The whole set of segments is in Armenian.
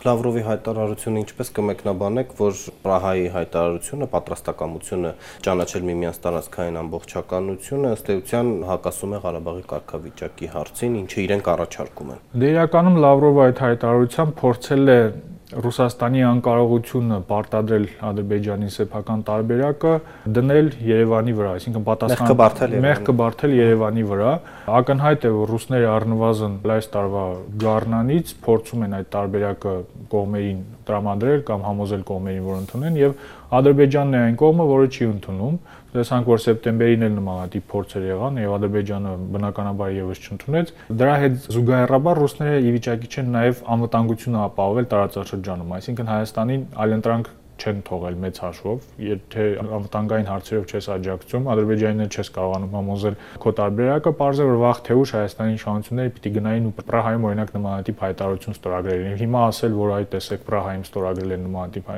Լավրովի հայտարարությունը ինչպես կմեկնաբանեք, որ Պրահայի հայտարարությունը, պատրաստակամությունը ճանաչել միմյանց տարածքային ամբողջականությունը ըստ էության հակասում է Ղարաբաղի կարգավիճակի հարցին, ինչը իրենք առաջարկում են։ Դե իրականում Լավրովը այդ հայտարարությամբ փորձել է Ռուսաստանի անկարողությունը պարտադրել Ադրբեջանի սեփական տարբերակը դնել Երևանի վրա, այսինքն պատասխան մեղքը բարթել Երևանի վրա։ Ակնհայտ է, որ ռուսները առնվազն այս տարվա գարնանից փորձում են այդ տարբերակը կողմերին տրամադրել կամ համոզել կողմերին, որ ընդունեն, եւ Ադրբեջանն է այն կողմը, որը չի ընդունում։ Տեսանք, որ սեպտեմբերին էլ նմանատիպ փորձեր եղան եւ Ադրբեջանը բնականաբար եւս չընդունեց։ Դրա հետ զուգահեռաբար ռուսները ի վիճակի չեն նաեւ անվտանգությունը ապահովել տարածաշրջանում, այսինքն Հայաստանին այլընտրանք չեն թողել մեծ հաշվով, եթե անվտանգային հարցերով չես աջակցում, Ադրբեջանին էլ չես կարողանում համոզել քո տարբերակը, պարզ է, որ վաղ թե ուշ Հայաստանի իշխանությունները պիտի գնային ու Պրահայում օրինակ նմանատիպ հայտարարություն ստորագրեն։ Հիմա ասել, որ այ տեսեք Պրահայում ստորագրել են նմանատիպ,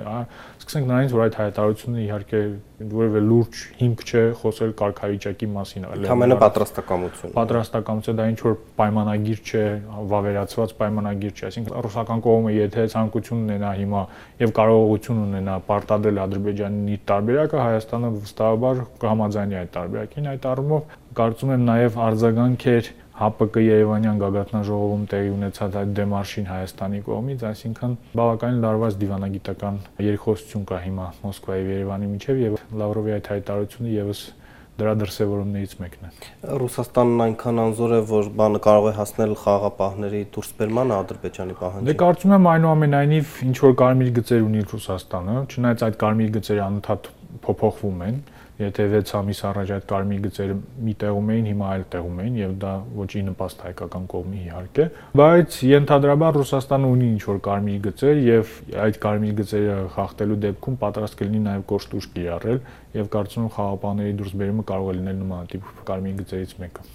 սկսենք նրանից, որ այդ հայտարարությունը իհարկե որևէ լուրջ հիմք չէ խոսել կարգավիճակի մասին, Համենը պատրաստակամություն։ Պատրաստակամություն, դա ինչ որ պայմանագիր չէ, վավերացված պայմանագիր չէ, այսինքն ռուսական կողմը եթե ցանկություն ունենա հիմա եւ կարողություն ունենա պարտադրել Ադրբեջանին իր տարբերակը, Հայաստանը վստահաբար կհամաձայնի այդ տարբերակին, այդ առումով կարծում եմ նաեւ արձագանքեր ՀԱՊԿ Երևանյան գագաթնաժողովում տեղի ունեցած այդ դեմարշին Հայաստանի կողմից, այսինքն բավականին լարված դիվանագիտական երկխոսություն կա հիմա Մոսկվայի եւ Երևանի միջեւ եւ Լավրովի այդ հայտարարությունը եւս դրա դրսևորումներից մեկն է։ Ռուսաստանն այնքան անզոր է, որ բանը կարող է հասնել խաղաղապահների դուրսբերմանը Ադրբեջանի պահանջին։ Դե կարծում եմ այնուամենայնիվ ինչ որ կարմիր գծեր ունի Ռուսաստանը, չնայած այդ կարմիր գծերը անընդհատ փոփոխվում են, եթե 6 ամիս առաջ այդ կարմիր գծերը մի տեղում էին, հիմա այլ տեղում են եւ դա ոչի նպաստ հայկական կողմի իհարկե, բայց ենթադրաբար Ռուսաստանը ունի ինչ որ կարմիր գծեր եւ այդ կարմիր գծերը խախտելու դեպքում պատրաստ կլինի նաեւ կոշտ ուժ կիրառել եւ կարծում եմ խաղաղապահների դուրսբերումը կարող է լինել նմանատիպ կարմիր գծերից մեկը։